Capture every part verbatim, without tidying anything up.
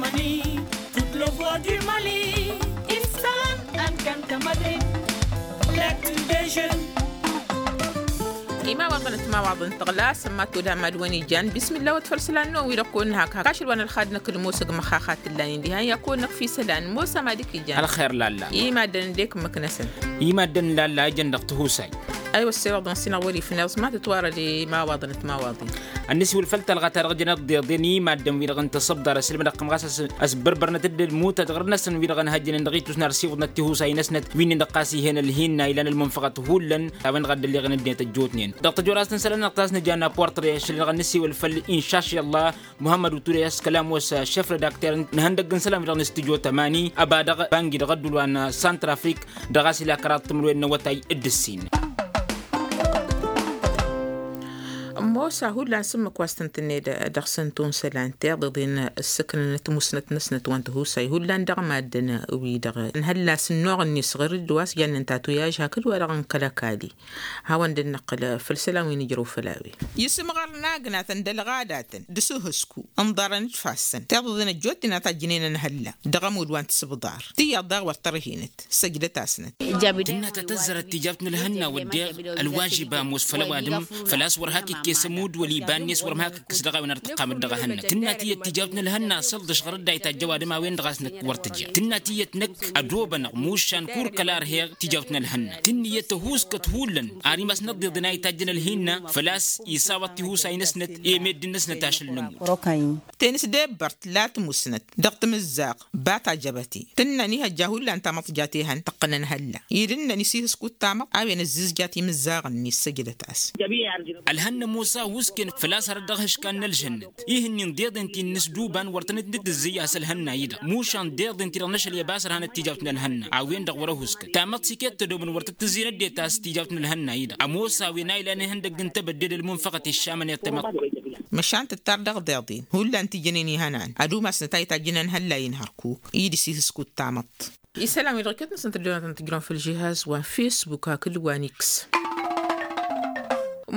Mali, tut lăvăr di mali. Issan, alkan tămădre. Lăktu dejăn. Imawaḍăn d-timawaḍăn tăɣla sămmat wăla mad-wăn ijan bismillah wăt fălsălan-năwăn wi-dăɣ kăwăn-nǝhak hak ašăl wa n-ălxad-năk d-mosăg măxxaxat tǝllan-in diha n-ya kăwăn-năk f-isălan mosa mad-ik ijan. Ălxer lalla. Imaddăn d-ekmăknăsăn. Imaddăn lalla ijăn dăɣ-tihusay. Aywa ăssewăḍăn s-inăɣ wăr-ifneẓ ma tǝtwarăd imawaḍăn d-timawaḍin. Ănnăsiwǝl făll-talɣa-ta-dăɣ jănăt d-iḍeḍen imaddăn-wi-dăɣ n-tasăbḍar ăssilmădăɣ-tăm ɣas ăsbărbărnăt-dd ălmutăt ɣur-năsăn wi-dăɣ ǝnhăjjănen dăɣ-itus n-ar siwǝḍnăt tihusay-năsnăt wi-nin-dăɣ ɣas ih'-en ălhinna ilan ălmunfăɣăt hullan a-wen-dăɣ a dd-ălleɣen ăddinăt ăjjootnen dăɣ-tăjorast n-isălan-năɣ ta s-nǝja n-apportre ašăl-i-dăɣ ănnăsiwǝl făll-inšaši ăllah. Muhămmăd uture a-s kălam wa s-šef redakter n-ihăndăgg n-isălan-wi-dăɣ n-stujo tămani ăba dăɣ-bangi dăɣ-ădduul wa n-santrafrik dăɣ-a-s ila kăraḍ timǝrwen n-awătay d-ǝssin. Ămoos a hullan s-ǝmmǝk wa s-tăn-tǝnned dăɣ-săn tunsălan tiḍeḍen ǝssǝknăn timusnăt-năsnăt wa n-tihusay hullan dăɣ-maddǝn-wi-dăɣ n-ihăllas n-inoɣ-net ɣur-dd wa s-jannen tatuyaj hakd-wa-dăɣ n-kăl-ăkall. Hawăn-dd-năqqǝl făll-isălan wi nǝjrăw făll-a-wen. Isǝmɣărăn agnatăn d-ălɣadatăn d-asǝhǝsku ǝnḍarăn d-ifassăn tiḍeḍen ăjjootnen a tajjǝnen ănhălla dăɣ-ămudd wa n-tisǝbḍar tiyyăḍ daɣ wăr tărhinăt. Săjdăt-asnăt. Tǝnna ta tăzzărăt tijawt n-ălhănna wădden ălwažib a ămoos făll-ăwadǝm făl-a-s wăr hak ikkes ămudd wăla iba-net wăr mă hak ǝkkǝs dăɣ-a-wen ar tǝqqamăt dăɣ-ehănnăt tǝnna tiyyăt tijawt n-ălhănna asălḍăš ɣur-dd a itajj ăwadǝm a-wen-dăɣ a-s năkk wăr tǝja tǝnna tiyyăt năkk ădobănăɣ mušan kur kăla ărheɣ tijawt n-ălhănna tǝnniyăt ăhuuskăt hullan ar imas n-ăḍḍeḍen a itajjăn ălhinna făl-a-s isawăḍ tihusay-năsnăt i-meddǝn-năsnăt ašăl n-ămudd. Tenǝsdebbărt la tǝmusnăt dăɣ-timǝzzaɣ bat ajăbăti tǝnnăn ihăjja hullan tamăḍt jat ehăn tăqqăn ănhălla id ǝnnăn isihǝskut tamăḍt a-wen ǝzzǝzjat imǝzzaɣ-net săjdăt-as. Ălhănna ămoos a ăhuusken făl-a-s hărăt dăɣ-ihǝškan n-ălžănnet ih'-ǝnnin d-eḍen ti n-inǝsduban wăr tănăt-nǝttǝzzǝy a-s ălhănna-i-dăɣ mušan d-eḍen ti-dăɣ n-ašăl i-ăbas ărhanăt tijawt n-ălhănna a-wen-dăɣ wăr-ăhuusken tamăḍt s-iket tădomăn wăr tăt-tǝzzǝynăt de ta s-tijawt n-ălhănna-i-dăɣ ămoos a-wen a ilan ihăndăgg n-tebădde d-ălmunfăɣăt iššamăn i-tamăḍt. Măšan tǝttar dăɣ-deḍen hullan tijănen ihănan ad-umasnăt a itajjǝn ănhălla-in hărkuk i-dd-isihǝskut tamăḍt. Isălan-wi-dăɣ iket-năsăn tăddonatăn tǝjrăwăn făll-žihaz wa n-fesbuk hakd wa n-iks.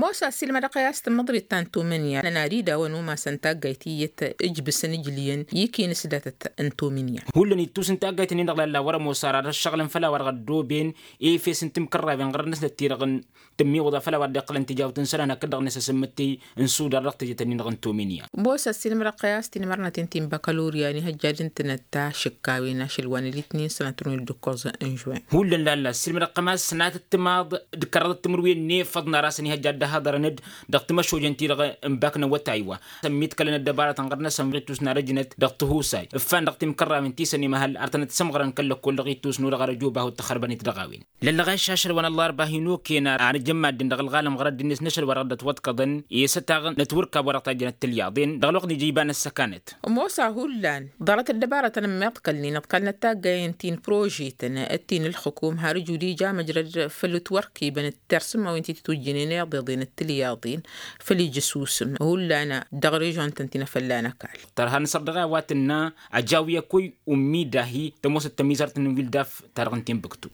Mosa silmădăɣ-i a-s tǝmmăḍrit ta n-tumǝnya n-ad-idawăn umasăn taggayt iyyăt ǝjbǝsăn ǝjlǝyăn ikinǝs datăt n-tumǝnya. Hullan ittus n-taggayt-nin-dăɣ lalla wăr-ămoos ara d-ăššăɣǝlăn făll-a-wa dăɣ-ăddooben efes n-timkărrawen ɣărăt-năsnăt ti-dăɣ n-tǝmmiwǝḍa făll-a-wa dd-iqqǝlăn tijawt n-isălan hakd dăɣ-năsăsǝmmǝttǝy n-sudar dăɣ-tejăt-nin-dăɣ n-tumǝnya. Mosa silmădăɣ-i a-s tinmărnăten ti n-bakălorya n-ihăjja d-ǝntǝnăt ta šǝkkawen ašăl wa n-alitnin sănatru n-ǝddǝkkoẓ n-žwen. Hullan lalla silmădăɣ-tăm a-s sănatăt timaḍ d-kăraḍăt timǝrwen n-efăḍ n-ar-asăn ihăjja dd-ăhaḍărăn-dd dăɣ-timăšojen-ti-dăɣ n-bak n-awătay wa. Sămmit kălăn ăddăbarătăn ɣur-năsăn ɣur-ittus n-ad-ăjnăt dăɣ-tihusay ǝffan dăɣ-timkărrawen ti săn imăhăl ar tănăt-sǝmɣărăn kăl-lăkkol dăɣ-ittus n-odăɣ ar ăjoobahut tăxărbănet dăɣ-a-wen. Lăllăɣ a išašăl wa n-ăllarba hin-okăyăn ar ăjămmadden dăɣ-ălɣalăm ɣur-ăddinnet n-ašăl wa dăɣ-dd-ătwăḍkăḍăn i-sătaɣ n-ătwǝrkab wa dăɣ-tajjănăt tilyaḍen dăɣ-ălwăqq n-ija iba n-ăssăkanăt. Ămoos a hullan ḍarăt ăddăbarătăn ămmiḍkălnen ăḍkalnăt taggayen ti n-prožetăn d-ti n-ǝlxǝkum har ǝjud ija măjrăd făll-ǝtwărkibăn d-tersǝmmawen ti tǝtwǝjjǝnen iḍeḍen d-tilyaḍen făll-ija ăsusǝm hullan dăɣ-režon-tăn ti n-afălla n-ăkall. Tărha n-săr dăɣ-a-wa tǝnna ăjaw i-ăkkoy ummi dahi tămoosăt tămizart n-wildaf ta dăɣ-n timbuktu.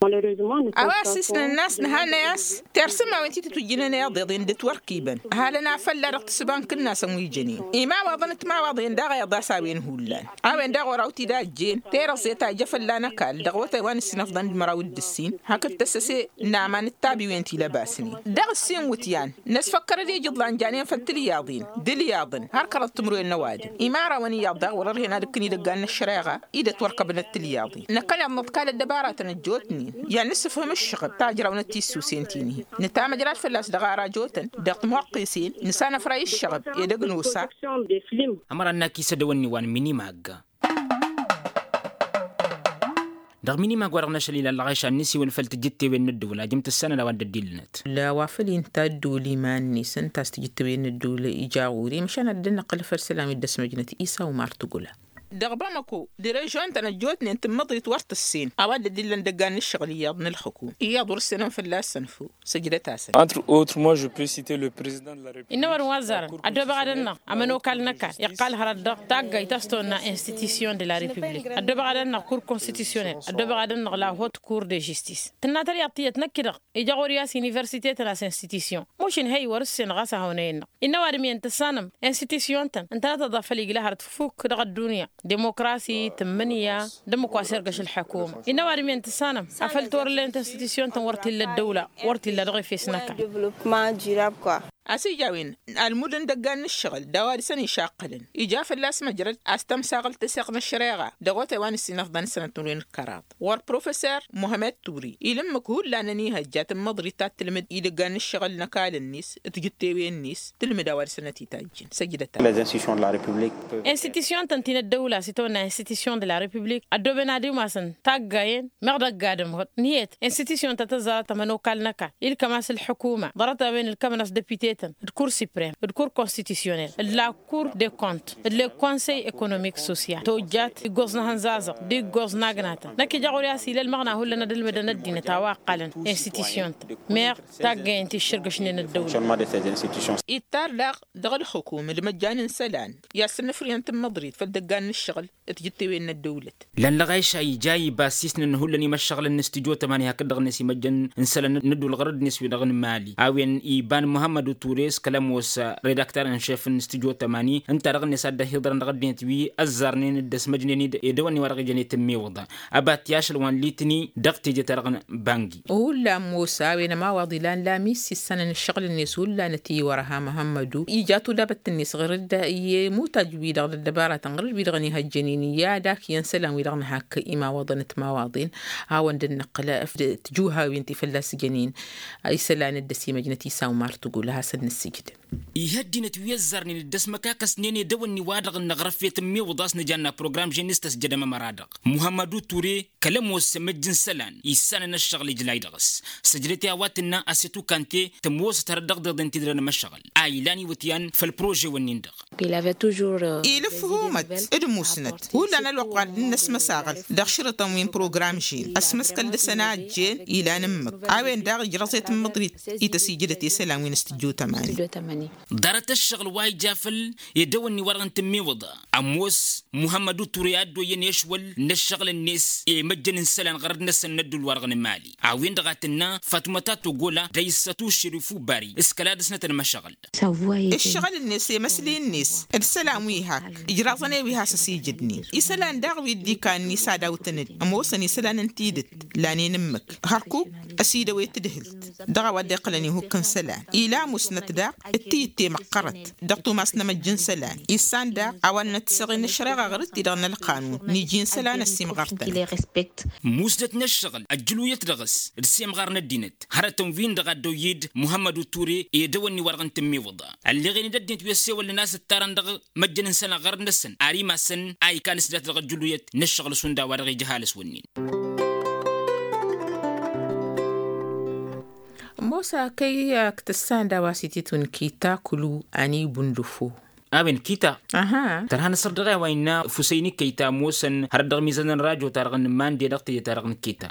A-wa s-isnăn n-a-s nǝhannăy a-s tersǝmmawen ti tǝtwǝjjǝnen iḍeḍen d-ǝtwărkibăn ăhalăn afălla dăɣ-tǝssǝba n-kǝnnasăn wi jănen imawaḍăn d-timawaḍen daɣ iḍas a-wen hullan. A-wen daɣ oraw-t-dd-ajjen terăẓẓe ta ija fălla n-ăkall dăɣ-awătay wa n-ǝssin ăfḍăn d-măraw d-ǝssin hakd tăssăse n-aman d-tabiwen ti lăbasnen dăɣ-ǝssin iwǝtyan n-ăsfăkkărăd i-ijǝḍlan janen făll-tilyaḍen d-ilyaḍăn har kăraḍ timǝrwen n-ăwadǝm imarawăn iyyăḍ daɣ wăr-ărhen ad-ǝkkǝn idăggan n-ăššăreɣa i-dd-ătwărkăbnăt tilyaḍen. Năkkăneḍ nǝḍkal ăddăbaratăn ăjjootnen i-ad-nǝssǝfhǝm ǝššăɣǝb ta ǝjrawnăt tissusen-ti-nihi nǝtamăjrad fălla-s dăɣ-arajotăn dăɣ-timwăqqisen nǝsanăfray ǝššăɣǝb edăgg n-osa. Ămăra n-akisădăwăn-ni wa n-minimag. Dăɣ-minimag wa dăɣ-năšăl ilalăɣ ašan nǝsiwǝl făll-tijǝttewen n-ăddăwǝl ajǝm tǝssanăn a-wa dd-ăddillănăt. La wa făl inta ăddăwǝl iman-net ǝnta a-s tijǝttewen n-ăddăwǝl ija ɣur-i măšan ad-dd-năqqǝl făll-isălan wi dd-ăsmăjnăt isa umar tǝgula. Dăɣ-bamăko d-režon-tăn ăjjootnen tǝmmăḍrit wăr tǝssen a-wa dd-ăddillăn idăggan n-ǝššăɣǝl iyyăḍ n-ălxǝkum iyyăḍ wăr-ǝssenăn fălla-săn făw. Săjdăt-asăn. Entre autres moi je peux citer le president de la republique. Innă wăr-ǝnwa ăzzarăn ăddoobăɣ ad-ănnăɣ ămănokal n-ăkall iqqal hărăt dăɣ-taggayt ta s-tonna institution de la republique ăddoobăɣ ad-ănnăɣ kur constitutionnel ăddoobăɣ ad-ănnăɣ la haute cour de justice. Tǝnna tălyaḍt tiyyăt năkk-dăɣ ija ɣur-i a-s universite-tăn a-s institution. Mušǝn hăy wăr-ǝssen ɣas ad-hawăn-ăyy-năɣ innă ăwadǝm-iyyăn tǝssanăm institution-tăn ǝntănăt aḍa făl igla hărăt fukk dăɣ-ăddunya. Dimokrasi tǝmmǝnǝya d-ǝmmǝk wa s-irgăš ǝlḥǝkuma innă ăwadǝm-en tǝssanăm afăl torǝllen tinstitisyon-tăn wăr t-illa ăddăwla wăr t-illa dăɣ-efes n-ăkall. A-s ija a-wen almud n-idăggan n-ǝššăɣǝl d-a-wa dăɣ-săn išaqqălăn ija fălla-s măjrăd a-s tămsaɣălt teseɣt n-ăššăreɣa dăɣ-otay wa n-ǝssin ăfḍăn sănăt n-wen ǝkkăraḍ wăr professer muhămmăd turi il' ǝmmǝk hullan ănihăjja tǝmmăḍrit ta t-tǝlmǝd idăggan n-ǝššăɣǝl n-ăkall-net d-tijǝttewen-net tǝlmǝd a-wa dăɣ-săn ătităjjăn săjdăt-as. Institisyon-tăn ti n-ăddăwla s-itawănna institisyon de la republik ăddooben ad-imasăn taggayen meɣ dăgg-adǝm ɣǝd ǝnhǝyăt institisyon ta tăẓẓarăt ămănokal n-ăkall ilkăm-as ǝlḥǝkuma ḍarăt-a-wen ǝlkămăn-as depite-tăn d-kur siprem d-kur konstitisyonel d-la kur de kont d-le konsey ekonomik sosyal tojjat iggoẓ n-ehăn zazăɣ d-iggoẓ n-agnatăn năkk ija ɣur-i a-s ila ălmăɣna hullan ad-ǝlmǝdăn ăddinăt a-wa ǝqqălăn institisyon-tăn meɣ taggayen ti ǝššǝrgăšnen ăddăwla. Ittar daɣ dăɣ-ǝlxǝkum d-imăjjan n-isălan i-ad-săn ǝfrǝyăn tǝmmăḍrit făll-idăggan n-ǝššăɣǝl d-tijǝttewen n-ăddăwlăt. Lăn lăɣayša ija iba ăssiisnăn hullan imăššăɣǝlăn n-studyo tămani hakd-dăɣ-net imăjjan n-isălan n-ădduul ɣărăd-net wi-dăɣ n-imali a-wen iba n-muhămmăd uture s-kăl-ămoos redakter n-šef n-studyo tămani ǝnta-dăɣ-net ad-dd-ăhiḍărăn dăɣ-ăddinăt wi ăzzarnen d-ăsmăjnen-dd edăwănni wa dăɣ-ijăn i-tǝmmiwǝḍa. Ăbat i-ašăl wa n-litni dăɣ-teje ta dăɣ-n bangi. Hullan mosa a-wen ămawaḍ ilan lamis issanăn ǝššăɣǝl-net hullan ătiwărha muhămmădu ija tulabăt-net ɣur-dd i-imutaj-wi-dăɣ d-ăddăbaratăn ɣur-dd wi-dăɣ ănihăjjănen i-ad-ak iyyăn isălan-wi-dăɣ nǝhak imawaḍăn d-timawaḍen. Hawăn-dd-nǝqqǝl tǝjuhawen ti fălla-s jănen isălan dd-ăsimăjnăt isawmar tǝgul a hasăn nǝssǝjǝd. Ih' ăddinăt wi ăzzarnen dd-ăsmăkakăsnen edăwănni-wa-dăɣ n-aɣrǝf i-tǝmmiwǝḍ a-s nǝjanna program ženis tăsjădăm ămăra-dăɣ muhămmăd uture kăl-ămoos măjj n-isălan issanăn ăššăɣǝl ijlay dăɣ-s. Săjdăt i-a-wa tǝnna asetu kante tămoosăt hărăt dăɣ-deḍen ti dăr-nămăššăɣǝl a ilan iwǝtyan făll-prože-wăn-in-dăɣ. Ilǝf humăt d-musnăt hullan ălwăqq wa dd-năsmăsaɣăl dăɣ-šărǝṭăn wi n-program žen ăsmăskăl dăɣ-săn a ăjjeen ilan ǝmmǝk. A-wen daɣ ijrăẓ i-tǝmmǝḍrit i-tăsijădăt i-isălan wi n-studyo tămani. Ḍarăt ăššăɣǝl wa ija făll-edăwănni-wa-dăɣ n-tǝmmiwǝḍa ămoos muhămmăd uture a dd-oyyăn ešwăl n-ăššăɣǝl-net i-măjjăn n-isălan ɣărăd-năsăn n-ădduul-wa-dăɣ n-imali. A-wen-dăɣ a tǝnna fatmăta togola d-ayǝssătu šerifu bari s-kăla dăɣ-snăt ănmăšăɣǝl. Ǝššăɣǝl-net i-măsli-net d-isălan wi hak ǝjraẓăn i-wi has-ăsijǝdnen isălan daɣ wi dd-ikanni s-ad-awtăn-dd ămoosăn isălan n-tidǝt lanen ǝmmǝk hărkuk ăsidăwet tadhǝlt. Dăɣ-a-wa dd-iqqălăn ihukk n-isălan ila musnăt daɣ d-tiyǝtte măqqărăt dăɣ-tumas n-emăjj n-isălan issan daɣ a-wa ǝnnăt tiseɣen n-ăššăreɣa ɣur-dd-ti-dăɣ n-ălqanun n-iji n-isălan ăsimɣăr-tăn. Musnăt n-ăššăɣǝl ăjjǝluyăt dăɣ-s d-semɣar n-ăddinăt hărătăn-win-dăɣ a dd-oyyed muhămmăd uture edăwănni-wa-dăɣ n-tǝmmiwǝḍa. Ălleɣen-dd ăddinăt wi ăssewălnen a-s ǝttarăn dăɣ-măjjăn n-isălan ɣărăt-năsăn ar imassăn a ikan s-dat-dăɣ ăjjǝluyăt n-ăššăɣǝl šund a-wa-dăɣ ija ăhalǝs-wǝnnin. Mosa kăy-ak tǝssan d-a-wa s-ititwǝn kita kǝlu ani bundǝfo. A-wen kita. Tărha n-asăr dăɣ-e a-wa innă fusăyni kăyta ămoosăn hărăt dăɣ-mizan n-rajo-ta-dăɣ n-mande dăɣ-teje-ta-dăɣ n-kita.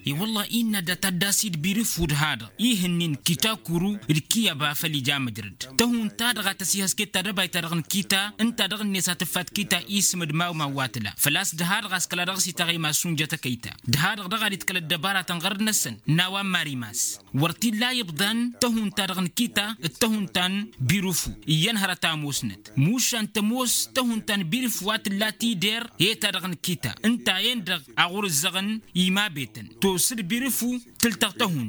I-wălla-hi innă dat-addasi d-birǝfu d-ha-dăɣ ihǝnnin kita kuru d-kiyăba făll-ija măjrăd tăhun-ta-dăɣ a tăsihăsket tadăbayt-ta-dăɣ n-kita ǝnta dăɣ-net a tǝffat kita isǝm d-mawmaw wa tǝla făl-a-s d-ha-dăɣ a-s kăla dăɣ-s itaɣ imass unjăt ăkăyta. D-ha-dăɣ dăɣ-ad-itkăl ăddăbaratăn ɣărăd-năsăn n-a-wa n-marimas wăr t-illa ibḍan tăhun-ta-dăɣ n-kita d-tăhun-ta n-birǝfu iyyăn hărăt a ămoosnăt mušan tămoos tăhun-ta n-birǝfu wa tǝlla tider i-ta-dăɣ n-kita ǝnta-en-dăɣ a ɣur-ǝzzăɣăn imabetăn tosăd birǝfu tǝltăɣ tăhun.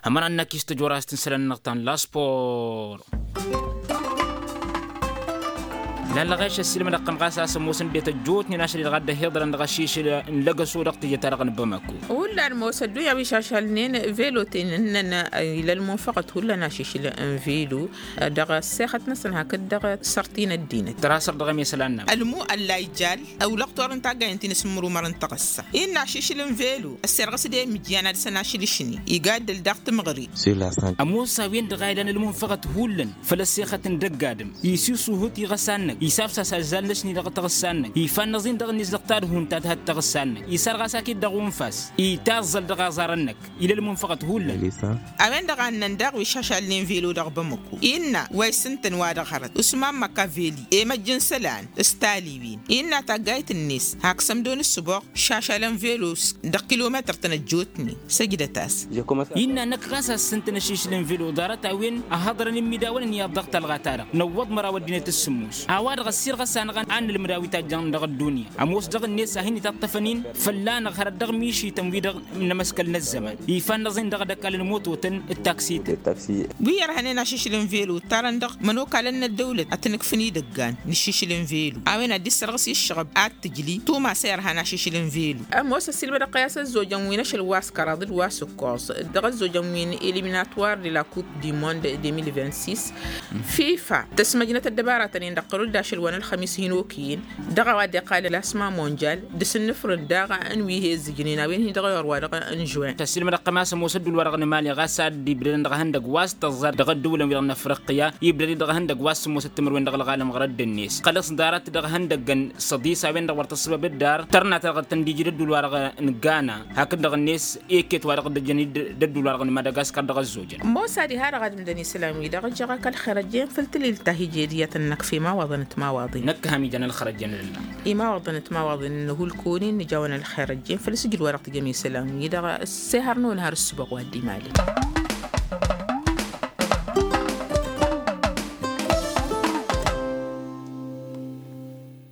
Ămăra n-akis tăjorast n-isălan-năɣ ta n-laspor. Lăn-lăɣeš ăssiilmădăɣ-tăm ɣas a-s ămoosăn d-e tăjjootnen ašăl-i-dăɣ a dd-ăhiḍărăn dăɣ-ašišǝl n-lăgăso dăɣ-teje-ta-dăɣ n-bamako. Hullan ămoos ăddunya wi šašalnen velo-ten ǝnnăn ila ălmunfăɣăt hullan ašišǝl n-velo dăɣ-ăssexăt-năsăn hakd dăɣ-sărti n-ăddinăt. Tăra săr dăɣ-emesălan-năɣ. Ălmu ăllay jal ăwlăɣ torăn taggayen ti n-asǝmmărumăr n-taɣǝssa innă ašišǝl n-velo ăsserɣǝs d-emǝjjan ad-săn ašǝl ašni igaddăl daɣ timɣări. Ămoos a-wen-dăɣ a ilan ălmunfăɣăt hullan făll-ăssexăt n-dăgg-adǝm isisuhǝt iɣăsan-năk isafsas azzal n-ašni dăɣ-taɣǝssa-năk ifannăẓ-in dăɣ-net dăɣ-tadhun ta tǝhăt taɣǝssa-năk isarɣas akit dăɣ-unfas itaẓẓăl dăɣ-aẓarăn-năk. Ila ălmunfăɣăt hullan. A-wen-dăɣ a ǝnnăn daɣ wi šašalnen velo dăɣ-bamăko innă wa isǝntăn wa dăɣ-hărăt usman măkaveli i-măjj n-isălan s-taliwin innă taggayt-net hak sămdo n-ǝssǝboɣ šašalăn velo dăɣ-kilometăr-tăn ăjjootnen. Săjdăt-as. Innă năkk ɣas a-s ǝntăn ašišǝl n-velo ḍarăt-a-wen ăhhăḍărăn imidawăn n-iyyăḍ dăɣ-talɣa-ta-dăɣ năwwăḍ măraw ăddinăt s-sǝmmos a-wa Dăɣ-ăssirɣăs-anăɣ a nǝlmǝd a-wi tajjăn dăɣ-ăddunya ămoos dăɣ-net a hin-itaṭṭăfăn-in fălla-năɣ hărăt dăɣ-mišităn-wi-dăɣ n-emăskăl n-ăzzăman. Ifan n-aẓin dăɣ-edăkal n-imototăn d-taksităn. Wi irhănen ašišǝl n-velu ǝttarăn dăɣ-imănokalăn n-ăddăwlăt ad-tăn-ǝkfǝn idăggan n-ašišǝl n-velu a-wen ad-dd-issărɣǝs i-ǝššăɣăb ad-t-tǝjli tumas a irhan ašišǝl n-velu. Ămoos ăssiilmădăɣ-t i-a-s ăzzojăn wi n-ašăl wa s-kăraḍ d-wa s-ǝkkoẓ dăɣ-ăzzojăn wi n-eliminator de la coupe du monde deux mille vingt-six. Fifa tăsmăjnăt ăddăbaratăn-in dăɣ-tărud d-ašăl wa n-ălxămis hin-okăyăn dăɣ-a-wa dd-iqqalăn klasma monjal d-asǝnnǝfrǝn daɣ n-wi he-ǝzzǝjnen a-wen hi-dăɣ i-orwa-dăɣ n-žuwin. Tăssilmădăɣ-t a-s ămoos ădduul-wa-dăɣ n-emali ɣas ad-dd-ibdădăn dăɣ-ehăndăgg wa s-tăẓẓa dăɣ-ăddăwlăn-wi-dăɣ n-afriqya ibdăd-i dăɣ-ehăndăgg wa s-sǝmmosăt timǝrwen dăɣ-ălɣalăm ɣărădd-net xălăs ḍarăt dăɣ-ehăndăggăn săḍis a-wen-dăɣ wăr tăssăbăb ǝddar tărna ta dăɣ-tăn-dd-iji d-ădduul-wa-dăɣ n-gana hakd-dăɣ-net. Iket wa dăɣ-dd-ăjjăn d-ădduul-wa-dăɣ n-madagaskar dăɣ-ăzzojăn. Ămoos ad-iha-dăɣ ad-imdăn isălan-wi-dăɣ ǝjjăɣ-ak ălxer ăjjeen făll-tǝlilt ta hi-ija ediyăt ănnăk f-imawaḍăn timawaḍin. Năkk ham ijăn ălxer ăjjeen ălla. Imawaḍăn timawaḍin n-hulkonin nǝjawăn ălxer ăjjeen făll-asǝjǝd wa dăɣ-tǝjăm isălan-wi-dăɣ. Ăssihărnăwăn har ǝssǝboɣ wa dd-imali.